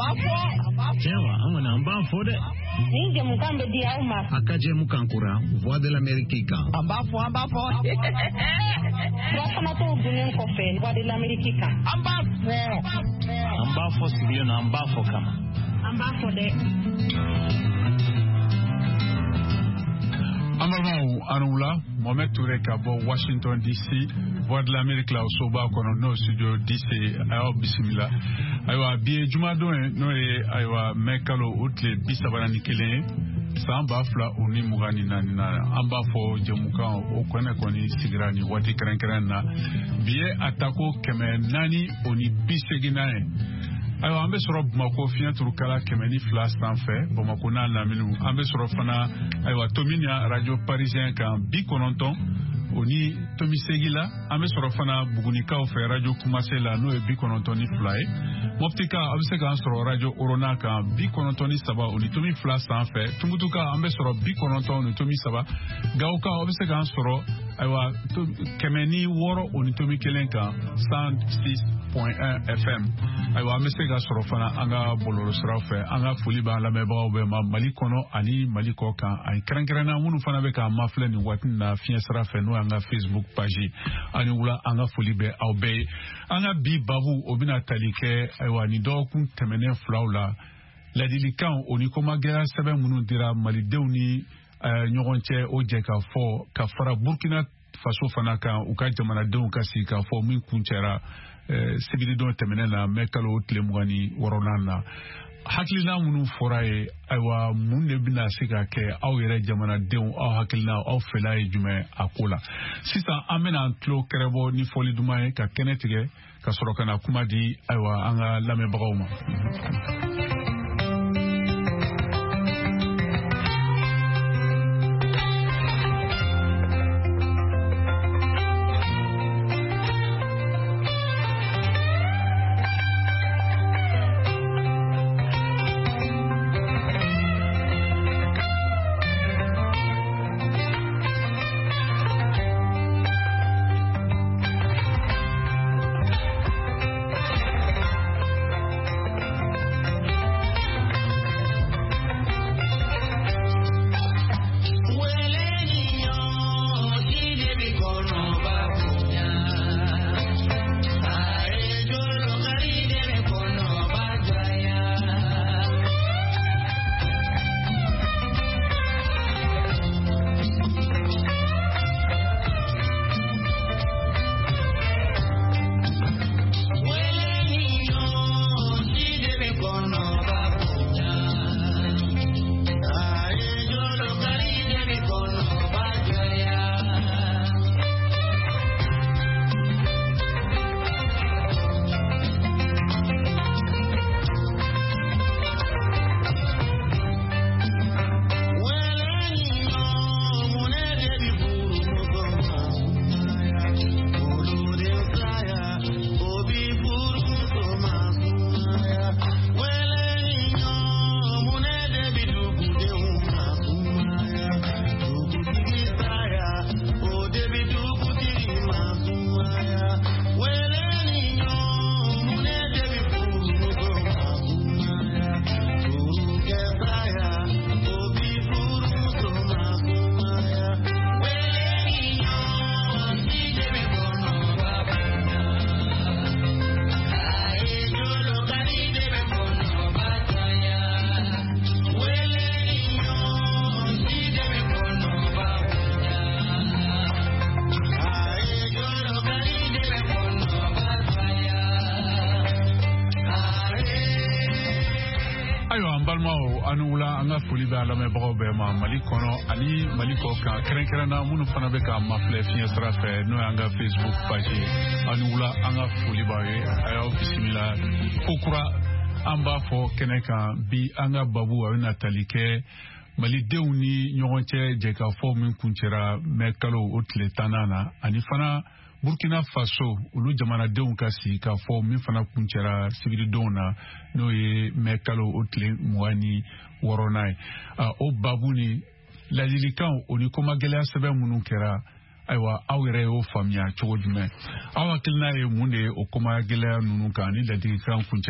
b'a fɔ. Tiɲɛ wa, an kɔni an b'a fɔ dɛ. Nin jɛmukan bɛ di aw ma. A ka jɛmukan kura Voix de l'Amérique kan. An b'a fɔ, an b'a fɔ. Furafanatɔw dunnen kɔfɛ Voix de l'Amérique kan. An b'a fɔ. An b'a fɔ sigilen don, an b'a fɔ kama. An b'a fɔ dɛ. An balimaw, aw ni wula. Mohamed Touré ka bɔ Washington DC, Voix de l'Amérique la, o soba kɔnɔ, n'o studio DC, a y'aw bisimila. Ayiwa, bi ye jumadon ye, n'o ye ayiwa mɛ kalo o tile 31 ye, san 2024 na. An b'a fɔ jɛmukan o kɛnɛ kɔni sigira nin waati kɛrɛnkɛrɛn na. Bi ye a tako 480nan ye. Ayiwa, an bɛ sɔrɔ Bamakɔ fiɲɛ turukala 102 sanfɛ, Bamakɔ n'a laminiw. An bɛ sɔrɔ fana ayiwa Tominian radio parisien kan 90.8 la. An bɛ sɔrɔ fana Bugunikaw fɛ radio Kumase la, n'o ye 92 ye. Mɔptika, a bɛ se k'an sɔrɔ radio Orona kan 93.2 sanfɛ. Tumutuka, an bɛ sɔrɔ 90.3. Gawoka, a bɛ se k'an sɔrɔ ayiwa 106.1 kan, 106.1 FM. Ayiwa, an bɛ se ka sɔrɔ fana an ka bɔlɔlɔsiraw fɛ. An ka foli b'an lamɛnbagaw bɛɛ ma Mali kɔnɔ ani Mali kɔ kan, ani kɛrɛnkɛrɛnna minnu fana bɛ k'an mafilɛ nin waati na fiɲɛ sira fɛ, n'o y'an ka Facebook page. Ani wula, an ka foli bɛ aw bɛɛ ye. An ka bi babu, o bɛna tali kɛ ayiwa nin dɔgɔkun tɛmɛnen filaw la, ladilikan o ni komagɛlɛya sɛbɛn minnu dira malidenw ni ɲɔgɔn cɛ, o jɛ ka fɔ ka fara Burkina Faso fana kan, u ka jamanadenw ka sigi ka fɔ min kuncɛra sibiridon tɛmɛnen na, mɛ kalo tile 26nan na. Hakilina minnu fɔra ye, ayiwa, mun de bɛna se ka kɛ? Aw yɛrɛ jamanadenw, aw hakilina, aw fɛla ye jumɛn a ko la? Sisan an bɛna an tulo kɛrɛbɔ ni fɔli duman ye ka kɛnɛ tigɛ, ka sɔrɔ ka na kuma di ayiwa an ka lamɛnbagaw ma. Ayiwa, an balimaw, an wula. An ka foli bɛ an lamɛnbagaw bɛɛ ma Mali kɔnɔ ani Mali kɔ kan, kɛrɛnkɛrɛnna minnu fana bɛ k'an mafilɛ fiɲɛ sira fɛ, n'o y'an ka Facebook page ye. An wula, an ka foli b'aw ye, a y'aw bisimila ko kura. An b'a fɔ kɛnɛ kan bi, an ka babu a bɛna tali kɛ malidenw ni ɲɔgɔn cɛ jɛkafɔ min kuncɛra mɛ kalo o tile 10nan na, ani fana Burkina Faso, olu jamanadenw ka sigi ka fɔ min fana kuncɛra sibiridonw na, n'o ye mɛ kalo o tile 26nan ye. O babu ni ladilikanw o ni komagɛlɛya sɛbɛn minnu kɛra, ayiwa, aw yɛrɛ y'o faamuya cogo jumɛn? Aw hakilina ye mun de ye o komagɛlɛya ninnu kan ni ladilikan kuncɛ?